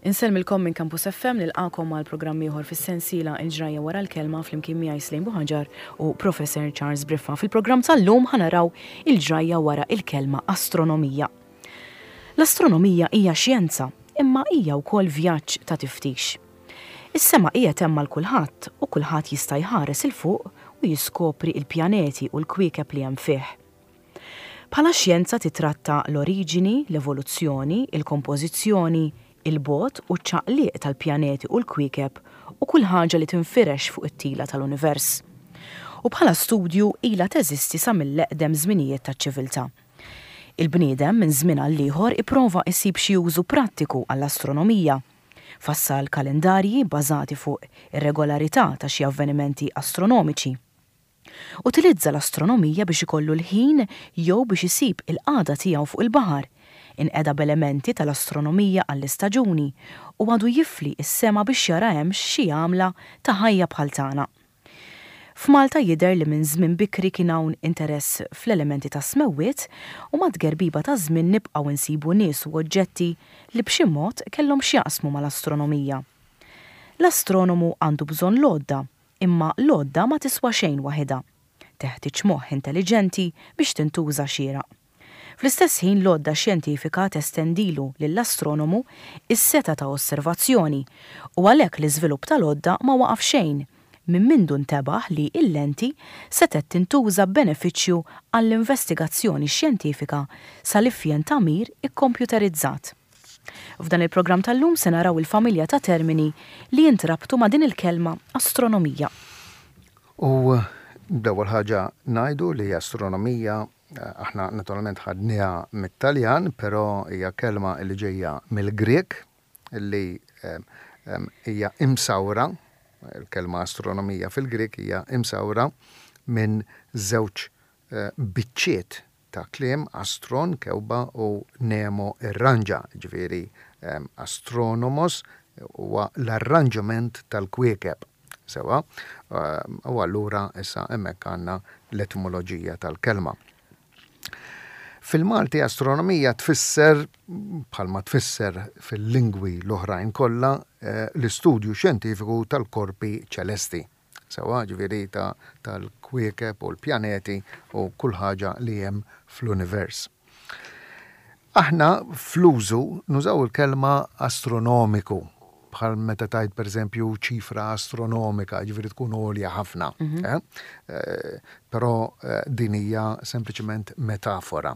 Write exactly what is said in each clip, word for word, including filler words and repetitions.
Insellmilkom minn Campus F M, nilqakom għal programm ieħor fis-sensiela Il-Ġrajja Wara l-Kelma flimkien miegħi Slane Buhagiar u Professor Charles Briffa. Fil-programm tal-lum ħanaraw il-ġrajja wara il-kelma astronomija. L-astronomija hija xjenza, imma hija wkoll vjaġġ ta' tiftix. Is-sema qiegħed hemm għal kulħadd u kulħadd jista' jħares il fuq u jiskopri il-pjaneti u l-kwiekeb li hemm fih. Bħala xjenza titratta l-oriġini, l-evoluzzjoni, il-kompożizzjoni, il-bot u ċ-ċaqliq tal-pjaneti u l-kwiekeb u kull ħaġa li tinfirex fuq it-tila tal-univers. U bħala studju ilha teżisti sa mill-eqdem żminijiet taċ-ċiviltà. Il-bniedem minn żmien għal ieħor ipprova jsib xi użu prattiku għall-astronomija. Fassal kalendarji bbażati fuq ir-regolarità ta' xi avvenimenti astronomiċi. Utilizza l-astronomija biex ikollu l-ħin jew biex isib il-qagħda tiegħu fuq il-baħar, inqeda b'elementi tal-astronomija għall-istaġuni u għadu jifli s-sema biex jara hemm xi għamla ta' ħajja bħal tagħna. F'Malta jidher li minn żmien bikri kien hawn interess fl-elementi ta' smewwiet u mat-tgerbiba ta' żmien nibqgħu nsibu nies u oġġetti li b'xi mod kellhom x'jaqsmu mal-astronomija. L-astronomu għandu bżonn l-għodda, imma l-għodda ma tiswa xejn waħedha. Teħtieġ moħħ intelliġenti biex tintuża xieraq. Fl-istess ħin l-għodda xjentifika testendilu lill-astronomu is-seta ta' osservazzjoni u għalhekk l-iżvilupp tal-għodda ma waqaf xejn minn mindu ntebaħ li l-lenti setgħet tintuża b'benefiċċju għall-investigazzjoni xjentifika sal-ifjen tagħmir ikkompjuterizzat. F'dan il-programm tal-lum se naraw il-familja ta' termini li jintrabtu ma' din il-kelma astronomija. U l-ewwel ħaġa ngħidu li astronomija aħna naturalment ħadniha mit-Taljan, però hija kelma li ġejja mill-Grek li, em, em, hija imsawra, il-kelma astronomija fil-Grek hija imsawra minn żewġ, eh, biċċiet ta' kliem, astron, kewba, u nemo, irranġa, ġifieri, em, astronomos huwa l-arranġament tal-kwiekeb. Sewa, em, u allura issa hemmhekk għandna l-etimoloġija tal-kelma. Fil-Malti astronomija tfisser, bħalma tfisser fil-lingwi l-oħrajn kollha, eh, l-istudju xjentifiku tal-korpi ċelesti. Sewa, ġifieri ta' tal-kwiekeb u l-pjaneti u kull ħaġa li hemm fl-univers. Aħna fl-użu nużaw il-kelma astronomiku, bħal meta tajt pereżempju ċifra astronomika, ġifieri tkun għolja ħafna. Mhm. Eh? Eh, però, eh, din hija sempliċement metafora.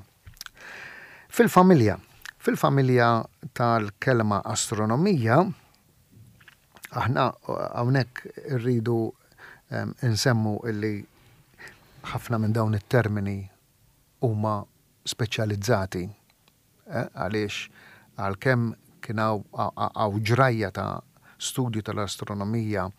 Fil-familja, fil-familja tal-kelma astronomija, aħna hawnhekk irridu, em, insemmu illi ħafna minn dawn it-termini huma speċjalizzati, eh, għaliex għalkemm kien hawn, hawn ġrajja ta' studju tal-astronomija,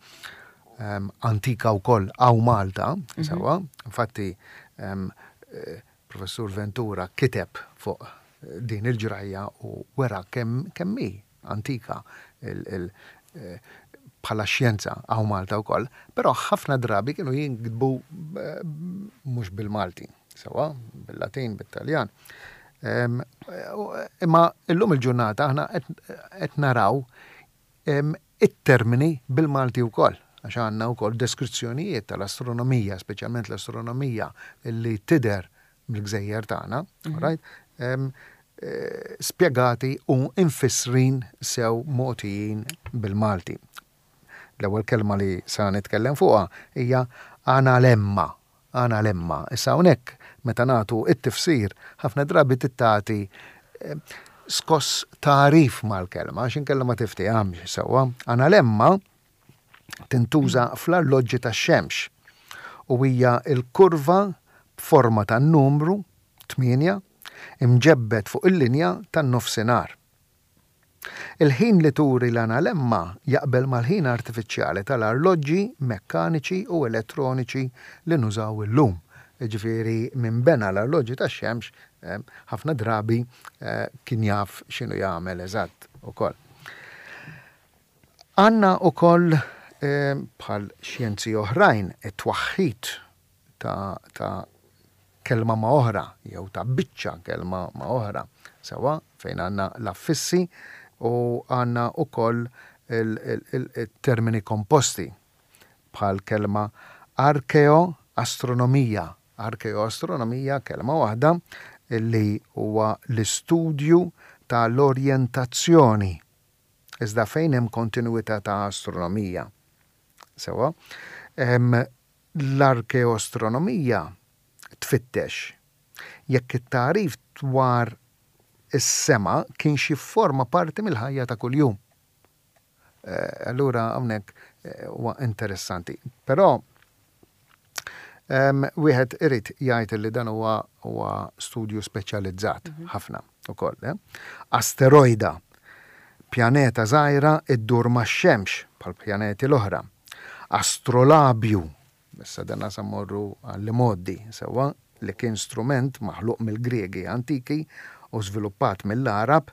em, antika wkoll hawn Malta, Mhm. sewwa, infatti, em, eh, Professur Ventura kiteb fuq din il-ġrajja u wera kemm, kemm hi antika il, il, eh, bħala xjenza hawn Malta wkoll, però ħafna drabi kienu jinkitbu, eh, mhux bil-Malti, sewwa, bil-Latin, bit-Taljan. Em, imma illum il-ġurnata aħna qed, qed naraw, em, it-termini bil-Malti wkoll, għax għandna wkoll deskrizzjonijiet tal-astronomija, speċjalment l-astronomija li tidher mill-gżejjer tagħna, Mhm. right? Em, eh, spjegati u infissrin sew mogħtijin bil-Malti. L-ewwel kelma li sa nitkellem fuqha hija analemma. Analemma. Issa hawnhekk meta nagħtu it-tifsir ħafna drabi tittati, eh, skoss tagħrif mal-kelma, għax inkella ma tiftihamx sewwa. Analemma tintuża fl-arloġġi tax-xemx u hija l-kurva b'forma ta' numru tmienja imġebbed fuq il-linja tan-nofsinhar. Il-ħin li turi l-analemma jaqbel mal-ħin artifiċjali tal-arloġġi mekkaniċi u elettroniċi li nużaw illum. Jiġifieri minn bena l-arloġġi tax-xemx, eh, ħafna drabi, eh, kien jaf x'inhu jagħmel eżatt ukoll. Għandna ukoll, eh, bħal xjenzi oħrajn it-twaħħid ta', ta' kelma ma' oħra jew ta' biċċa kelma ma' oħra, sewwa fejn għandna l-affissi U għandna ukoll il-termini komposti bħal kelma arkeoastronomija. Arkeoastronomija, kelma waħda, li huwa l-istudju tal-orjentazzjoni. Iżda fejn hemm kontinuità ta' astronomija. Sewa, l-arkeoastronomija tfittex jekk it-tagħrif dwar is-sema kienx jifforma parti mill-ħajja ta' kuljum. Eh, allura hawnhekk eh, huwa interessanti. Però wieħed irid jgħid li dan huwa huwa studju speċjalizzat mhm. ħafna ukoll. Eh? Asteroida, pjaneta żgħira iddur max-xemx bħal pjaneti l-oħra. Astrolabju, issa dan sa mmorru għall-imgħoddi, sewwa, li kien strument maħluq mill-Griegi antiki u żviluppat mill-Għarab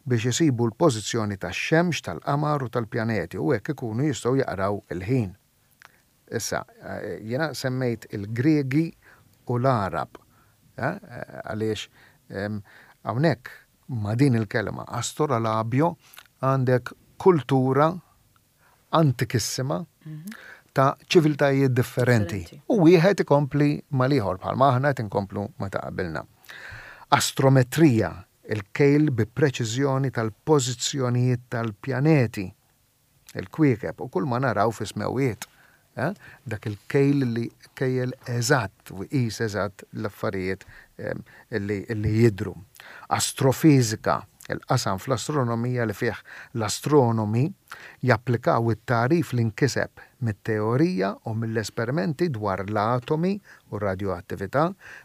biex isibu l-pożizzjoni tax-xemx, tal-qamar u tal-pjaneti u hekk ikunu jistgħu jaqraw il-ħin. Issa, jiena semmejt il-Griegi u l-Għarab, għaliex hawnhekk ma' din il-kelma astrolabio għandek kultura antikissima ta' ċiviltajiet differenti. U wieħed ikompli mal-ieħor bħalma aħna qed inkomplu ma' ta' qabilna. Astrometrija, il-kejl bi preċiżjoni tal-pożizzjonijiet tal-pjaneti, il-kwiekeb u kull ma naraw fis-smewwiet. Eh? Dak il-kejl li kejjel eżatt u jqis eżatt l-affarijiet li, li jidru. Astrofizika, il-qasam fl-astronomija li fih l-astronomi japplikaw it-tagħrif li nkiseb mit-teorija u mill-esperimenti dwar l-atomi u radioattività,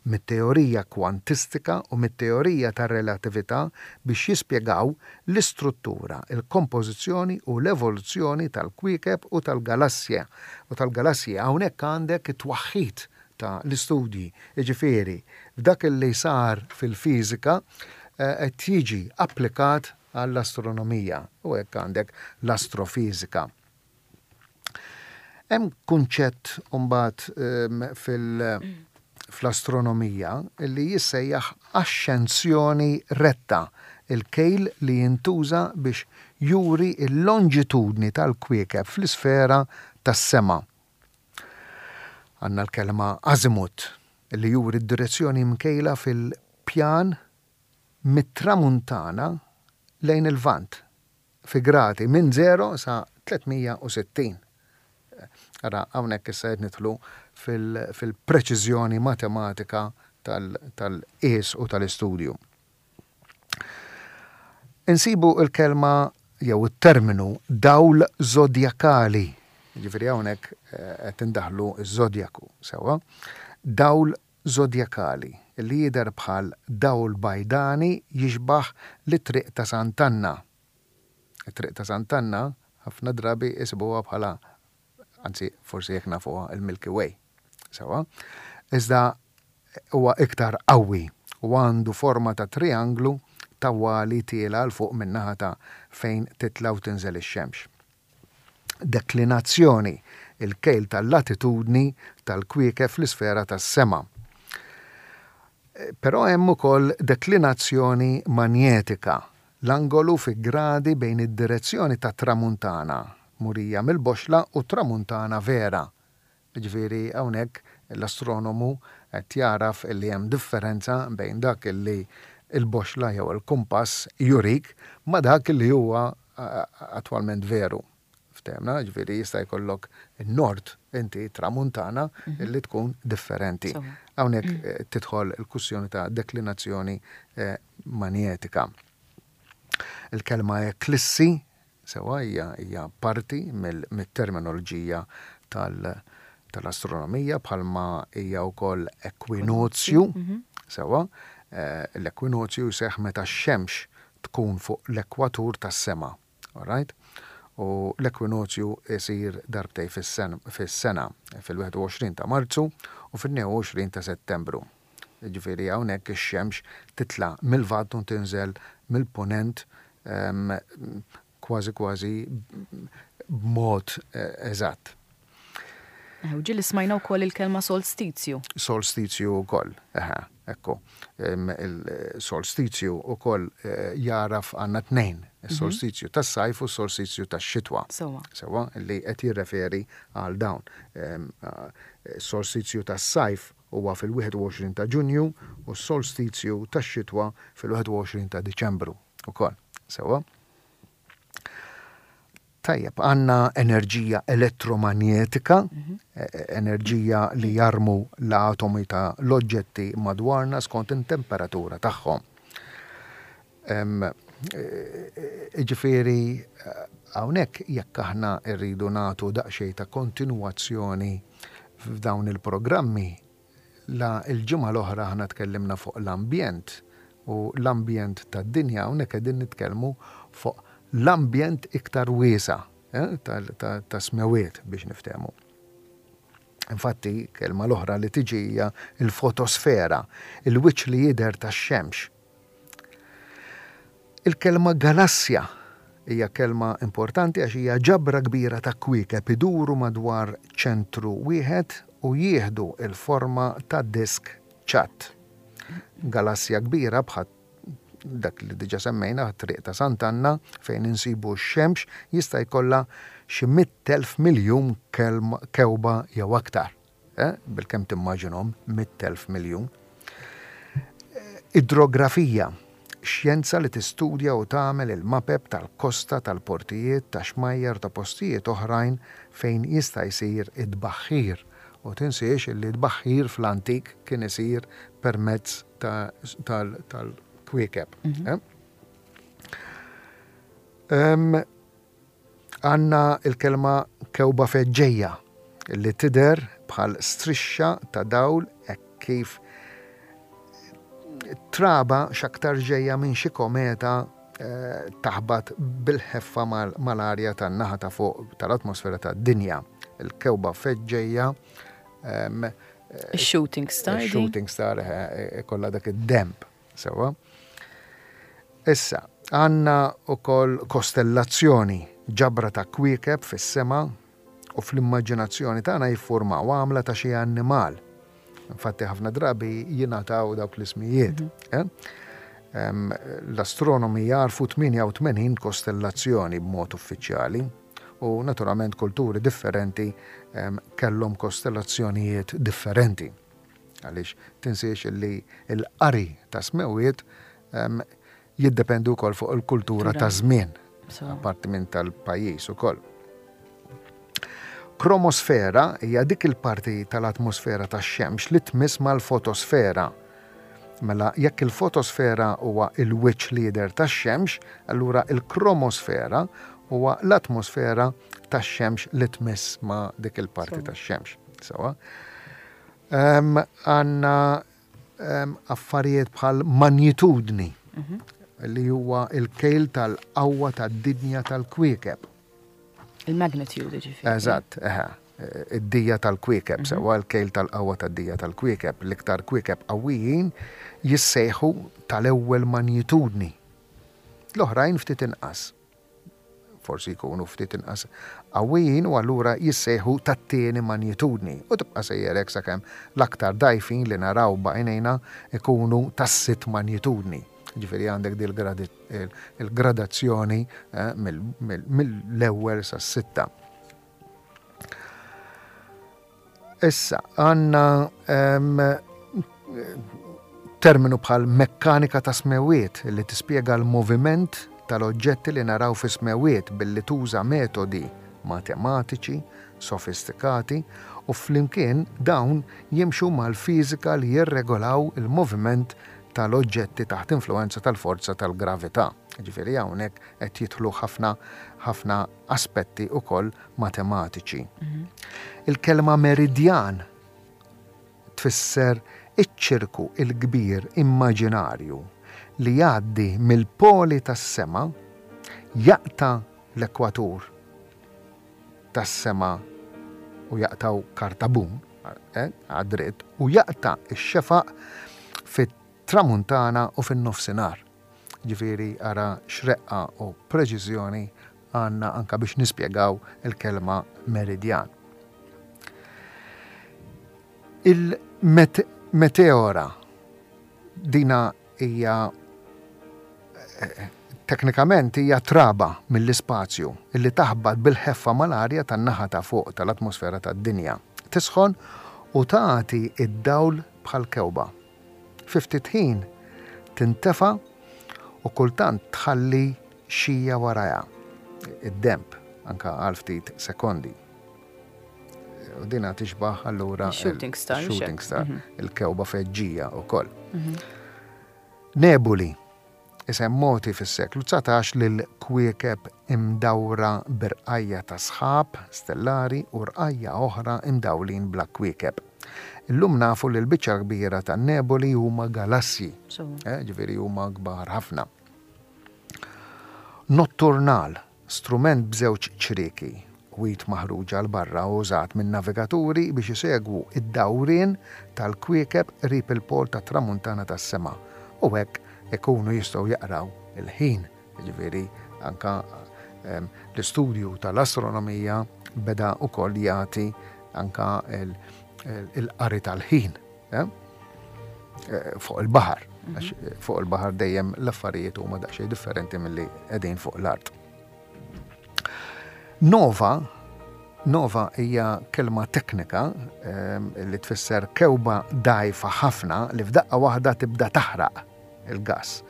mit-teorija kwantistika u mit-teorija tar-relatività biex jispjegaw l-istruttura, il-kompożizzjoni u l-evoluzzjoni tal-kwiekeb u tal-galassja. U tal-galassja hawnhekk għandek it-twaħħid ta' l-istudji, jiġifieri f'dak li sar fil-fiżika qed jiġi applikat għall-astronomija u hekk għandek l-astrofizika. Hemm kunċett mbagħad fil- fl-astronomija li jissejjaħ axxenzjoni retta, il-kejl li jintuża biex juri l-lonġitudni tal-kwiekeb fl-isfera tas-sema. Għandna l-kelma azimut li juri d-direzzjoni mkejla fil-pjan mit-tramuntana lejn il-Lvant fi gradi minn żero sa tliet mija u sittin. Ara, hawnhekk issa qed nidħlu fil-preċiżjoni matematika tal-qies u tal-istudju. Insibu il-kelma jew it-terminu dawl zodjakali. Ġifieri hawnhekk qed indaħlu ż-żodjaku, sewwa. Dawl zodjakali li jidher bħal dawl bajdani jixbaħ li triq ta' Sant'Anna. It-triq ta' Sant'Anna ħafna drabi isibuha bħala, anzi forsi jekk nafuha, il-Milky Way. Sewwa. Iżda huwa iktar qawwi u għandu forma ta' trianglu tawwali tiela 'l fuq min-naħa ta' fejn titla' u tinżel ix-xemx. Deklinazzjoni, il-kejl tal-latitudni tal-kwiekeb fl-isfera tas-sema. Però hemm ukoll deklinazzjoni manjetika, l-angolu fi gradi bejn id-direzzjoni ta' tramuntana murija mill-boxla u tramuntana vera. Ġifieri hawnhekk l-astronomu qed jaraf li hemm differenza bejn dak li il-boxla jew il-kumpass jurik ma dak li huwa attwalment veru. Ftehmna, ġifieri jista' jkollok il-nord inti tramuntana mhm. li tkun differenti. Hawnhekk eh, tidħol il-kwistjoni ta' deklinazzjoni eh, manjetika. Il-kelma eklissi sewa hija hija parti mill-terminoloġija tal-astronomija bħalma hija wkoll ekwinozju, mhm. sewa, eh, l-ekwinozju jseħħ meta x-xemx tkun fuq l-ekwatur tas-sema. Alright? U l-ekwinozju jsir darbtejn fis-sena, fil-wieħed u għoxrin ta' Marzu u fil-tnejn u għoxrin ta' Settembru. Ġifieri hawnhekk ix-xemx titla' mil-Lvant u tinżel mill-punent kważi kważi b'mod eh, eżatt. U ġieli smajna wkoll il-kelma solstizju. Solstizju wkoll, eħe, ekku. Il-solstizju wkoll eh, jaraf għandna tnejn Is-solstizju tas-sajf u s-solstizju tax-xitwa. Sewwa. Sewwa, li qed jirreferi għal dawn. Ehm, eh, Solstizju tas-sajf huwa fil-wieħed u għoxrin ta' Ġunju u s-solstizju tax-xitwa fil-wieħed u għoxrin ta' Diċembru ukoll. Sewwa. Tajjeb, għandna enerġija elettromagnetika, Mhm. e-, e-, enerġija li jarmu l-atomi ta' l-oġġetti madwarna skont in-temperatura tagħhom. Em, e-, e-, Ġifieri, hawnhekk jekk aħna rridu nagħtu daqsxejn ta' kontinwazzjoni f'dawn il-programmi, la il-ġimgħa l-oħra aħna tkellimna fuq l-ambjent u l-ambjent tad-dinja, hawnhekk qegħdin nitkellmu fuq l-ambjent iktar wiesa', eh, tal-, ta-, ta' smewiet biex niftehmu. Infatti, kelma l-oħra li tiġi hija il-fotosfera, il-wiċċ li jidher tax-xemx. Il-kelma galassja hija kelma importanti għax hija ġabra kbira ta' kwiekeb iduru madwar ċentru wieħed u jieħdu il-forma ta' disk ċatt. Galassja kbira bħal dak li diġa semmejna, triq ta' Sant'Anna, fejn insibu x-xemx, jista' jkollha xi mitt elf miljun kelma, kewba jew aktar. Eh? Bilkemm timmaġinhom mitt elf miljun. Idrografija, xjenza li tistudja u tagħmel il-mapep tal-kosta, tal-portijiet, ta' xmajjar, ta' postijiet oħrajn fejn jista' jsir id-baħħir. U tinsiex li d-baħħir fl-antik kien isir permezz ta-, tal-, tal-kwiekeb. Mhm. Eh? Em, għanna il-kelma kewba feġġejja li tidher bħal strixxa ta' dawl hekk kif traba x'aktar ġejja minn xi kometa, eh, taħbat bil-ħeffa mal-, mal-arja tan-naħa ta' fuq tal-atmosfera tad-dinja. Il-kewba feġġejja, em, Il-shooting star, di? Il-shooting star, eh, eh, kollha dak id-demb, sewwa. Issa, għandna wkoll kostellazzjoni, ġabra ta' kwiekeb fis-sema u fl-immaġinazzjoni tagħna jiffurmaw għamla ta' xi annimal. Infatti ħafna drabi jingħataw dawk l-ismijiet. Mhm. Eh? Em, l-astronomi jarfu tmienja u tmenin kostellazzjoni b'mod uffiċjali u naturalment kulturi differenti, em, kellhom kostellazzjonijiet differenti. Għaliex tinsiex li l-qari ta' smewiet, em, jiddependu wkoll fuq il-kultura Kultura. ta' żmien, So. apparti minn tal-pajjiż ukoll. Kromosfera hija dik il-parti tal-atmosfera tax-xemx li tmiss mal-fotosfera. Mela jekk il-fotosfera huwa il-wiċċ lider tax-xemx, allura il-kromosfera huwa l-atmosfera tax-xemx li tmiss ma' dik il-parti Sewa. tax-xemx. Sewa. Em, għandna, em, affarijiet bħal magnitudni, Mhm. li huwa il-kejl tal-qawwa tad-dinja tal-kwiekeb. Il-magnitude, ġifieri. Eżatt, eħe, id-dija tal-kwiekeb, Mhm. sewa l-kejl tal-qawwa tad-dija tal-kwiekeb, l-iktar kwiekeb qawwijin jissejħu tal-ewwel magnitudni. L-oħrajn ftit inqas. Forsi jkunu ftit inqas qawwijin u allura jissejħu tat-tieni magnitudni. U tibqa' sejjer hekk sakemm l-aktar dajfin li naraw b'għajnejna ikunu tas-sitt magnitudni. Ġifieri għandek dil gradi-, il-, il-gradazzjoni, eh, mill-, mill-, mill-ewwel sas-sitta. Issa, għandna, em, terminu bħal mekkanika ta' smewiet li tispjega l-moviment tal-oġġetti li naraw fi smewiet billi tuża metodi matematiċi, sofistikati u flimkien dawn jimxu mal-fiżika li jirregolaw il-moviment tal-oġġetti taħt influenza tal-forza tal-gravità. Ġifieri hawnhekk qed jidħlu ħafna, ħafna aspetti ukoll matematiċi. Mhm. Il-kelma meridjan tfisser iċ-ċirku il-kbir immaġinarju li jgħaddi mill-poli tas-sema, jaqta l-ekwatur tas-sema u jaqtaw Kartabun, eh, għad-dritt, u jaqta x-xefaq fit-tramuntana u fin-nofsinhar. Ġifieri ara xreqqa u preċiżjoni għandna anka biex nispjegaw il-kelma meridjan. Il-meteora dina hija, eh, Teknikament hija traba mill-ispazju illi taħbat bil-ħeffa mal-arja tan-naħa ta' fuq tal-atmosfera tad-dinja. Tisħon u tagħti id-dawl bħal kewba. Fi ftit ħin tintefa u kultant tħalli xija warajha, id-demb, anka għal ftit sekondi. U dina tixbaħ allura shooting star. Shooting star, il-kewba feġġija u koll. Nebuli, isem mogħti fis-seklu dsatax lil kwiekeb imdawra b'irqajja ta' sħab stellari u rqajja oħra imdawlin bla kwiekeb. Illum nafu li l-biċċa kbira ta' nebuli huma galassji, eh, ġifieri huma kbar ħafna. Notturnal, strument b'żewġ ċrieki, wit maħruġa 'l barra użat minn navigaturi biex isegwu id-dawrien tal-kwiekeb qrib il-pol ta' tramuntana tas-sema u hekk ikunu jistgħu jaqraw il-ħin. Ġifieri anka l-istudju tal-astronomija beda wkoll jagħti anka il-qari tal-ħin eh, fuq il-baħar. Għax fuq il-baħar dejjem l-affarijiet huma daqsxejn differenti milli qegħdin fuq l-art. Nova, nova hija kelma teknika li tfisser kewba dgħajfa ħafna li f'daqqa waħda tibda taħraq il-gas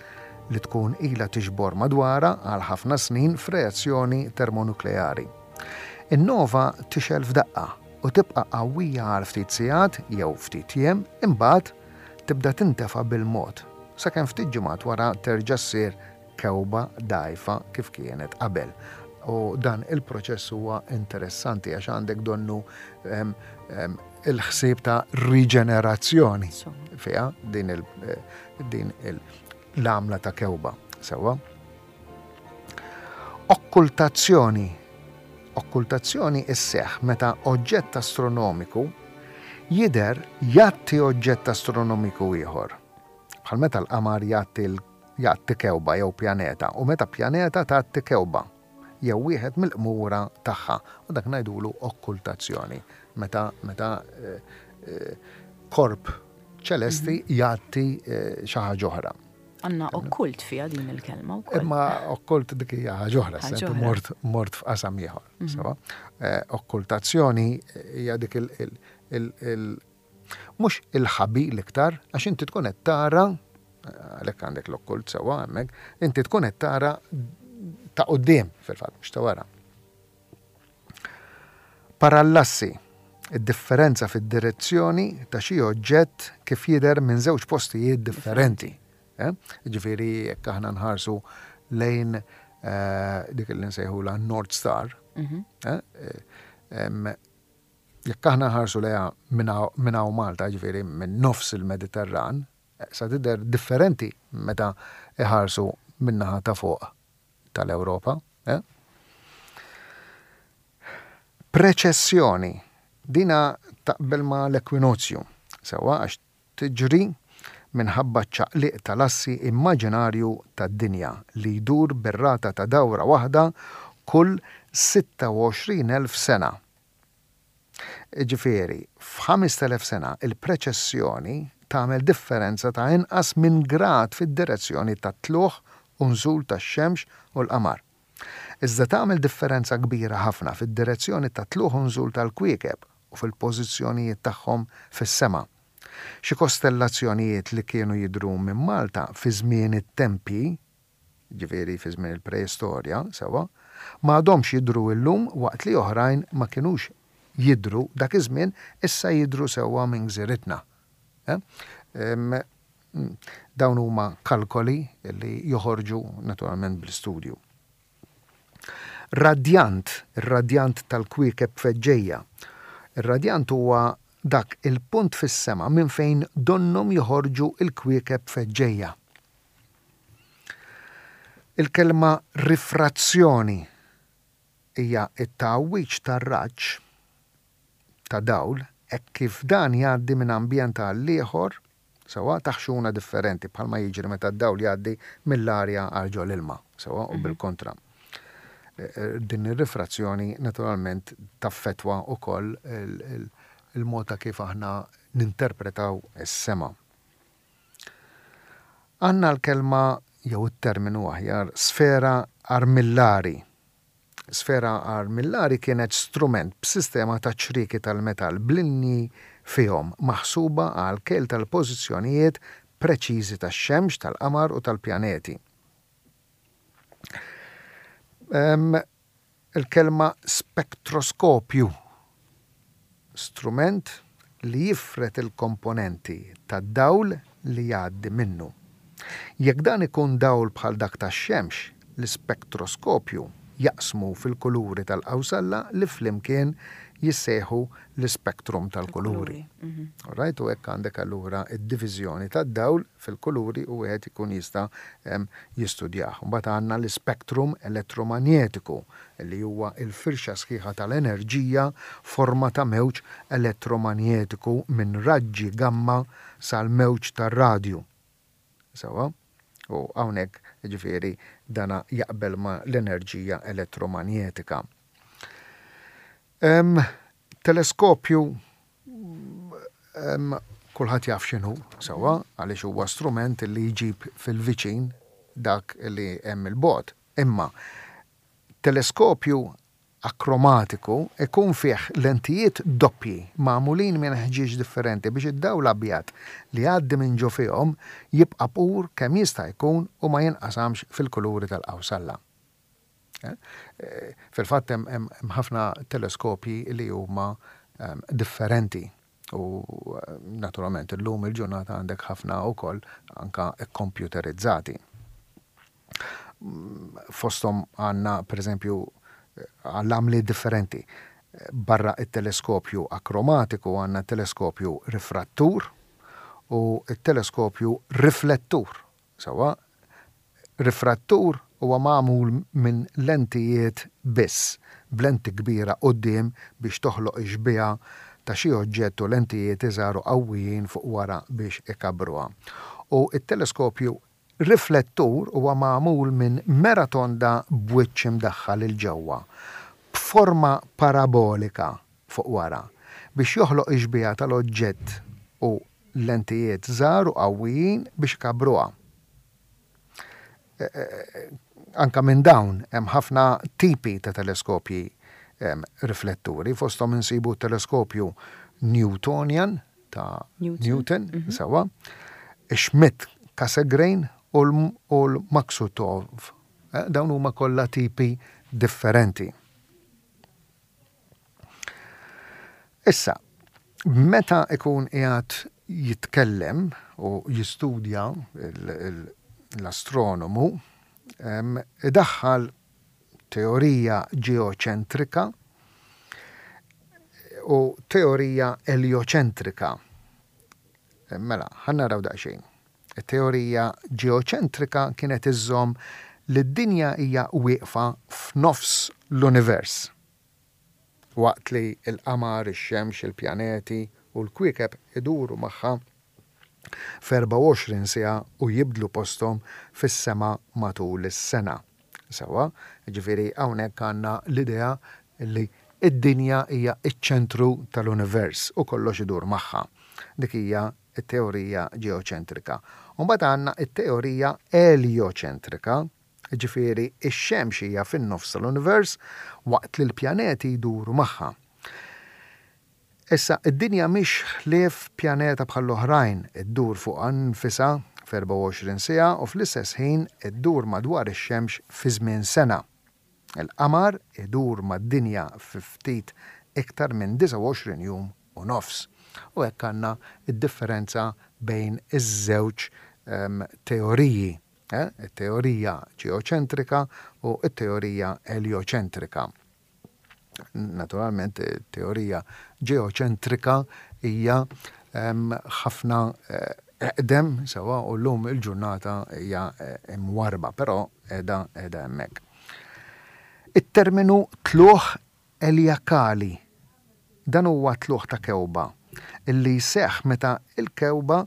li tkun ila tiġbor madwara għal ħafna snin f'reazzjoni termonukleari. In-nova tixgħel f'daqqa u tibqa' qawwija għal ftit sigħat jew ftit jiem, imbagħad tibda tintefa bil-mod, sakemm ftit ġimgħat wara terġa' ssir kewba dgħajfa kif kienet qabel. U dan il-proċess huwa interessanti għax għandek donnu il-ħsieb ta' riġenerazzjoni fiha din l-għamla ta' kewba. Sewwa. Okkultazzjoni. Okkultazzjoni isseħħ meta oġġett astronomiku jidher jgħatti oġġett astronomiku ieħor. Bħal meta l-qamar jgħatti kewba jew pjaneta u meta pjaneta tgħatti kewba jew wieħed mill-qmura tagħha, u dak ngħidulu okkultazzjoni. Meta, meta korp ċelesti jgħatti xi ħaġa oħra. Għandna okkult fiha din il-kelma wkoll. Imma okkult dik hija ħaġa oħra, mort, mort f'qasam ieħor. Sewa. Okkultazzjoni hija dik il, il, il, mhux il-ħabi l-iktar, għax inti tkun qed tara, għalhekk għandek l-okkult sewwa hemmhekk, inti tkun qed tara ta' quddiem fil-fatt, mhux ta' wara. Parallassi, id-differenza fid-direzzjoni ta' xi oġġett kif jidher minn żewġ postijiet differenti. Ġifieri jekk aħna nħarsu lejn dik li nsejħula North Star, jekk aħna nħarsu lejha minn hawn Malta, ġifieri minn nofs il-Mediterran, sa tidher differenti meta iħarsu min-naħa ta' fuq tal-Ewropa. Preċessjoni, dina taqbel ma l-ekwinozju, sewwa għax tiġri minħabba ċaqliq tal-assi immaġinarju tad-dinja li jdur bir-rata ta' dawra waħda kull sitta u għoxrin elf sena. Ġifieri, f'ħamest elef sena il-preċessjoni tagħmel differenza ta' inqas minn grad fid-direzzjoni tat-tluħ u nżul tax-xemx u l-qamar. Iżda tagħmel differenza kbira ħafna fid-direzzjoni tat-tluħ u nżul tal-kwiekeb u fil-pożizzjonijiet tagħhom fis-sema. Xi kostellazzjonijiet li kienu jidhru minn Malta fi żmien it-tempji, ġifieri fi żmien il-preistorja, sewwa, ma għadhomx jidhru illum waqt li oħrajn ma kinux jidhru dak iż-żmien issa jidhru sewwa minn gżiritna. Dawn huma kalkoli li joħorġu naturalment bl-istudju. Radjant, ir-radjant tal-kwiekeb feġġejja. Ir-radjant huwa dak il-punt fis-sema minn fejn donnom joħorġu il-kwiekeb feġġejja. Il-kelma rifrazzjoni hija t-tgħawwiġ tar-raġġ ta' dawl hekk kif dan jgħaddi minn ambjent għal ieħor sewwa taħxuna differenti bħalma jiġri meta d-dawl jgħaddi mill-arja għal ġol ilma sewwa u bil-kontra. Din ir-rifrazzjoni naturalment taffettwa wkoll il-mod ta' kif aħna ninterpretaw is-sema. Għandna l-kelma jew it-terminu aħjar, sfera armillari. Sfera armillari kienet strument b'sistema ta' ċrieki tal-metall b'linji fihom maħsuba għal kejl tal-pożizzjonijiet preċiżi tax-xemx, tal-qamar u tal-pjaneti. Il-kelma spektroskopju, strument li jifred il-komponenti tad-dawl li jgħaddi minnu. Jekk dan ikun dawl bħal dak tax-xemx, l-ispektroskopju jaqsmu fil-kuluri tal-qawsalla li flimkien jissejħu l-ispektrum tal-kuluri. Mhm. Right, u hekk għandek allura id-diviżjoni tad-dawl fil-kuluri u wieħed ikun jista' jistudjah. Mbagħad għandna l-ispektrum elettromagnetiku li huwa l-firxa sħiħa tal-enerġija forma ta' mewġ elettromagnetiku minn raġġi gamma sal-mewġ tar-radju. Sewwa? U hawnhekk jiġifieri dana jaqbel ma' l-enerġija elettromanjetika. Em, teleskopju em, kulħadd jaf x'inhu sewwa, għaliex huwa strument li jġib fil-viċin dak li hemm il-bogħod. Imma teleskopju akromatiku ikun fih lentijiet doppji magħmulin minn ħġieġ differenti biex id-dawl abjad li jgħaddi minn ġo fihom jibqa' pur kemm jista' jkun u ma jinqasamx fil-kuluri tal-qawsalla. Eh, fil-fatt hemm ħafna teleskopji li huma ehm, differenti u eh, naturalment illum il-ġurnata għandek ħafna wkoll anka komputerizzati. Mm, fosthom għandna pereżempju għall-għamli differenti. Barra it-teleskopju akromatiku għandna teleskopju rifrattur u it-teleskopju riflettur. Sewwa, rifrattur huwa magħmul minn lentijiet biss, b'lenti kbira quddiem biex toħloq ix-xbieha ta' xi oġġett u lentijiet iżgħar u qawwijin fuq wara biex ikabbruha. U t-teleskopju riflettur huwa magħmul minn mera tonda b'wiċċ imdaħħal 'il ġewwa, b'forma parabolika fuq wara, biex joħloq ix-xbieha tal-oġġett u lentijiet żgħar u qawwijin biex ikabbruha. Anka minn dawn hemm ħafna tipi ta' teleskopji rifletturi, fosthom insibu t-teleskopju Newtonian ta' Newton, mhm. sewwa, Schmidt-Cassegrain u l-Maksutov. Eh, dawn huma kollha tipi differenti. Issa, meta ikun qiegħed jitkellem u jistudja l-astronomu, idaħħal teorija ġeoċentrika u teorija eljoċentrika. Mela, ħa naraw daqsxejn. It-teorija ġeoċentrika kienet iżżomm li d-dinja hija wieqfa f'nofs l-univers. Waqt li l-qamar, ix-xemx, il-pjaneti u l-kwiekeb iduru magħha f'erbgħa u għoxrin siegħa u jibdlu posthom fis-sema matul is-sena. Sewwa, jiġifieri hawnhekk għandna l-idea li d-dinja hija ċ-ċentru tal-univers u kollox idur magħha. Dik hija t-teorija ġeoċentrika. U mbagħad għandna t-teorija eljoċentrika, jiġifieri x-xemx hija fin-nofs tal-univers waqt li l-pjaneti jduru magħha. Issa, id-dinja mhix ħlief pjaneta bħall-oħrajn, iddur fuqha nfisha f'erbgħa u għoxrin siegħa u fl-istess ħin iddur madwar ix-xemx fi żmien sena. Il-qamar idur mad-dinja fi ftit iktar minn disgħa u għoxrin jum u nofs. U hekk għandna d-differenza bejn iż-żewġ teoriji, it-teorija ġeoċentrika u t-teorija eljoċentrika. Naturalment, it-teorija ġeoċentrika hija ħafna eqdem sewwa u llum il-ġurnata hija mwarrba, però qiegħda qiegħda hemmhekk. It-terminu tlugħ eliakali. Dan huwa tlugħ ta' kewba li jseħħ meta l-kewba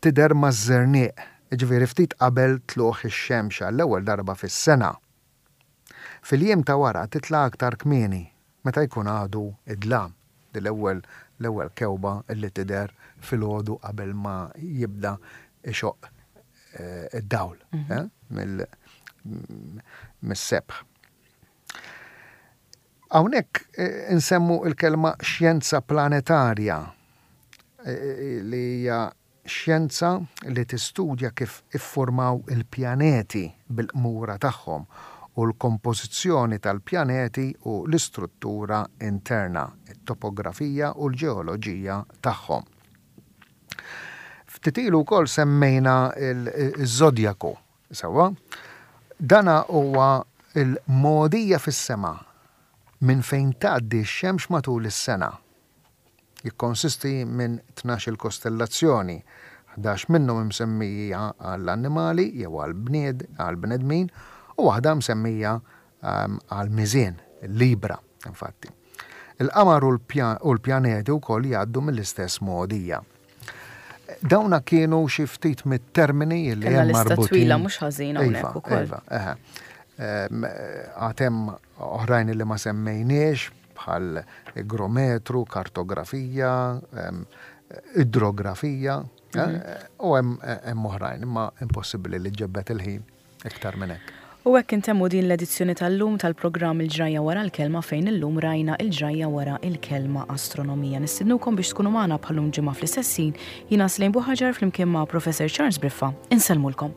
tidher maż-żerniq, jiġifieri ftit qabel tlugħ ix-xemx għall-ewwel darba fis-sena. Fil-jiem ta' wara titla' aktar kmieni, meta jkun għadu d-dlam. Din l-ewwel l-ewwel kewba li tidher filgħodu qabel ma jibda jxoqq id-dawl mhm. eh, mis-sebħ. Hawnhekk eh, insemmu il-kelma xjenza planetarja eh, li hija xjenza li tistudja kif iffurmaw il-pjaneti bil-qmura tagħhom u l-kompożizzjoni tal-pjaneti u l-istruttura interna, it-topografija u l-ġeoloġija tagħhom. Ftit ilu wkoll semmejna il-żodjaku, sewwa? Dana huwa il-mogħdija fis-sema minn fejn tgħaddi x-xemx matul is-sena. Jikkonsisti minn tnax-il kostellazzjoni, ħdax minnhom imsemmija għall-annimali jew għall-bnedmin u waħda msemmija għall-miżien, il-Libra, infatti. Il-qamar u l-pjaneti wkoll jgħaddu mill-istess mogħdija. Dawna kienu xi ftit mit-termini li hemm marbutin. Twila mhux ħażin hawnhekk ukoll. Iva, eħe. Għad hemm oħrajn li ma semmejniex bħal igrometru, kartografija, idrografija, u hemm oħrajn, imma impossibbli li ġebbet il-ħin iktar minn hekk. U hekk intemmu din l-edizzjoni tal-lum tal-programm Il-Ġrajja Wara l-Kelma fejn illum rajna il-ġrajja wara il-kelma astronomija. Nistednukom biex tkunu magħna bħal-lum ġimgħa fl-istess ħin. Jiena Slejn Buħaġar flimkien ma' Professor Charles Briffa. Insellmulkom.